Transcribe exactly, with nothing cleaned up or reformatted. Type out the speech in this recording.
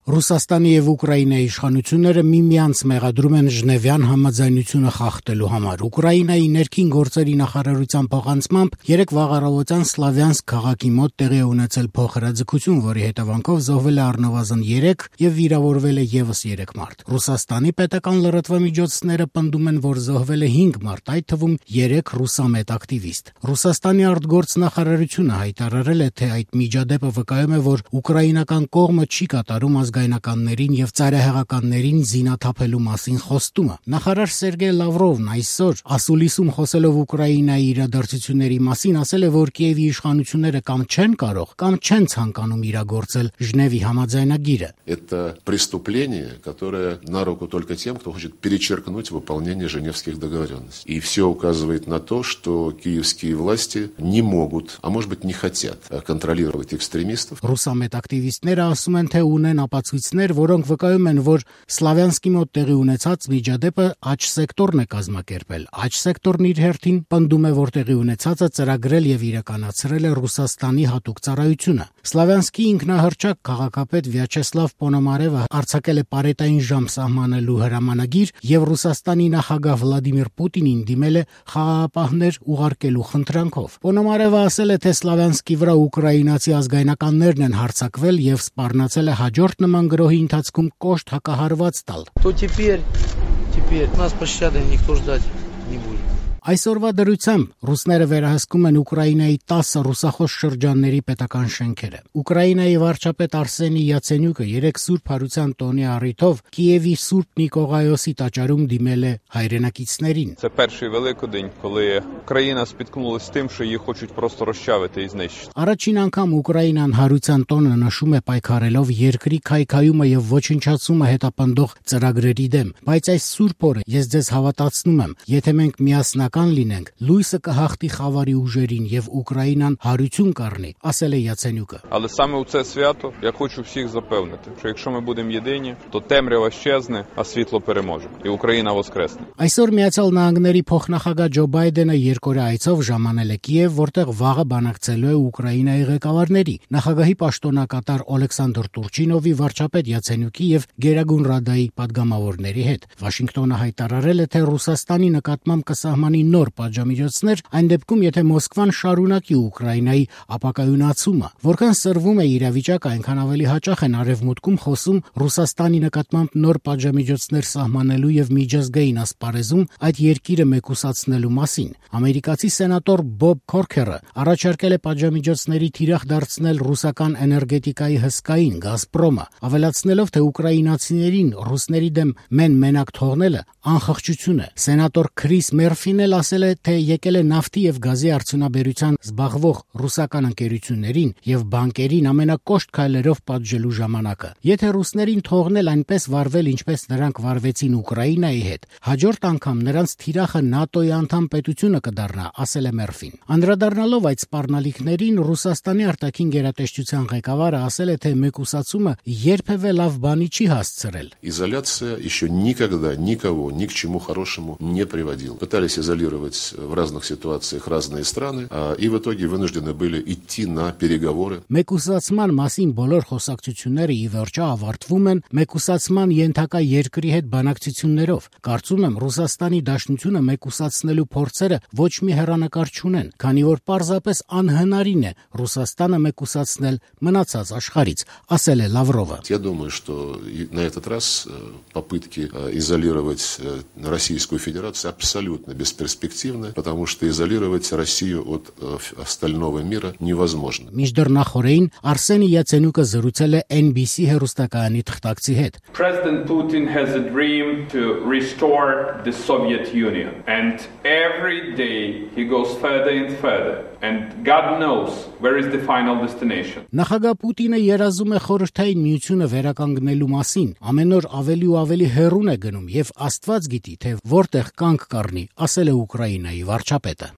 Ռուսաստանի եւ Ուկրաինայի իշխանությունները միմյանց մեղադրում են Ժնևյան համաձայնությունը խախտելու համար։ Ուկրաինայի ներքին գործերի նախարարության փոխանցմամբ երեք վաղ առավոտյան Սլավյանսկ քաղաքի մոտ տեղի է ունեցել փոխհրաձգություն, որի հետևանքով զոհվել է առնվազն երեք եւ վիրավորվել է եւս երեք մարդ։ Ռուսաստանի պետական լրատվամիջոցները պնդում են, որ զոհվել է հինգ մարդ, այդ թվում երեք ռուսամետ ակտիվիստ։ Ռուսաստանի արտգործնախարարությունը հայտարարել է, թե այդ միջադեպը վկայում է, որ ուկրաինական կողմը չի կատարում ազգայնականներին եւ ծայրահեղականներին զինաթափելու մասին խոստումը։ Նախարար Սերգեյ Լավրովն այսօր ասուլիսում խոսելով Ուկրաինայի իրադարձությունների մասին ասել է, որ Կիևի իշխանությունները կամ չեն կարող, կամ չեն ցանկանում իրագործել Ժնևի համաձայնագիրը։ Это преступление, которое на руку только тем, кто хочет перечеркнуть выполнение Женевских договоренностей. И все указывает на то, что киевские власти не могут, а может быть не хотят контролировать экстремистов. Ռուսամետ ակտիվիստները ասում են, թե ունեն ապացույցներ, որոնք վկայում են, որ Սլավյանսկի մոտ տեղի ունեցած միջադեպը աջ սեկտորն է կազմակերպել։ Աջ սեկտորն իր հերթին պնդում է, որ տեղի ունեցածը ծրագրել եւ իրականացրել է Ռուսաստանի հատուկ ծառայությունը։ Սլավյանսկի ինքնահռչակ քաղաքապետ Վյաչեսլավ Պոնոմարևը արձակել է պարետային ժամ սահմանելու հրամանագիր եւ Ռուսաստանի նախագահ Վլադիմիր Պուտինին դիմել է խաղաղապահներ ուղարկելու խնդրանքով։ Պոնոմարևը ասել է, թե Սլավյանսկի վրա ուկրաինացի ազգայնականներն են հարձակվել եւ սպառնացել է հաջորդ նման գրոհի ընթացքում կոշտ հակահարված տալ։ То теперь, теперь нас пощады никто ждать не будет. Այսօրվա դրությամբ ռուսները վերահսկում են Ուկրաինայի տասը ռուսախոս շրջանների պետական շենքերը։ Ուկրաինայի վարչապետ Արսենի Յացենյուկը երեք Սուրբ Հարության տոնի առիթով Կիևի Սուրբ Նիկողայոսի տաճարում դիմել է հայրենակիցներին։ Це перший Великодень, коли Україна спіткнулася тим, що її хочуть просто розчавити і знищити. Առաջին անգամ Ուկրաինան Հարության տոնը նշում է պայքարելով երկրի քայքայումը եւ ոչնչացումը հետապնդող ծրագրերի դեմ, բայց այս Սուրբ օրը ես ձեզ հավատացնում եմ, եթե մենք միասնական լինենք, լույսը կհաղթի խավարի ուժերին եւ Ուկրաինան հարություն կառնի, ասել է Յացենյուկը։ Але саме у це свято я хочу всіх запевнити, що якщо ми будемо єдині, то темрява щезне, а світло переможе, і Україна воскресне. Այսօր Միացյալ Նահանգների փոխնախագահ Ջո Բայդենը երկօրյա այցով ժամանել է Կիև, որտեղ վաղը բանակցելու է Ուկրաինայի ղեկավարների, նախագահի պաշտոնակատար Օլեքսանդր Տուրչինովի, վարչապետ Յացենյուկի եւ Գերագույն Ռադայի падգամավորների հետ։ Վաշինգտոնը հայտարարել է, թե Ռուսաստանի նկատմամբ կսահմանի նոր պատժամիջոցներ, այն դեպքում, եթե Մոսկվան շարունակի Ուկրաինայի ապակայունացումը, որքան սրվում է իրավիճակը, այնքան ավելի հաճախ են արևմուտքում խոսում Ռուսաստանի նկատմամբ նոր պատժամիջոցներ սահմանելու եւ միջազգային ասպարեզում այդ երկիրը մեկուսացնելու մասին։ Ամերիկացի սենատոր Բոբ Քորքերը առաջարկել է պատժամիջոցների թիրախ դարձնել ռուսական էներգետիկայի հսկային Գազպրոմը, ավելացնելով, թե ուկրաինացիներին ռուսների դեմ մեն-մենակ թողնելը անխղճություն է։ Սենատոր Քրիս Մերֆին էլ ասել է, թե եկել է նավթի եւ գազի արդյունաբերության զբաղվող ռուսական ընկերություններին եւ բանկերին ամենակոշտ քայլերով պատժելու ժամանակը։ Եթե ռուսներին թողնել այնպես վարվել, ինչպես նրանք վարվեցին Ուկրաինայի հետ, հաջորդ անգամ նրանց թիրախը ՆԱՏՕ-ի անդամ պետությունը կդառնա, ասել է Մերֆին։ Անդրադառնալով այդ սպառնալիքներին, Ռուսաստանի արտաքին գերատեսչության ղեկավարը ասել է, թե մեկուսացումը երբևէ լավ բանի չի հասցրել։ Изоляция еще никогда никого ни к чему хорошему не приводила. Пытались изолировать в разных ситуациях разные страны, и в итоге вынуждены были идти на переговоры. Մեկուսացման մասին բոլոր խոսակցությունները ի վերջո ավարտվում են մեկուսացման ենթակա երկրի հետ բանակցություններով։ Կարծում եմ, Ռուսաստանի Դաշնությունը մեկուսացնելու փորձերը ոչ մի հեռանկար չունեն, քանի որ պարզապես անհնարին է Ռուսաստանը մեկուսացնել մնացած աշխարհից, ասել է Լավրովը։ Я думаю, что на этот раз попытки изолировать Российскую Федерацию абсолютно бесперспективны, потому что изолировать Россию от остального мира невозможно. Միջդեռ նախորդին Արսենի Յացենյուկը զրուցել է N B C հեռուստակայանի թղթակցի հետ։ President Putin has a dream to restore the Soviet Union, and every day he goes further and further, and God knows where is the final destination. Նախագահ Պուտինը երազում է խորհրդային միությունը վերականգնելու մասին, ամեն օր ավելի ու ավելի հեռուն է գնում եւ Աստված գիտի, թե որտեղ կանգ կառնի, ասել է Ուկրաինայի վարչապետը։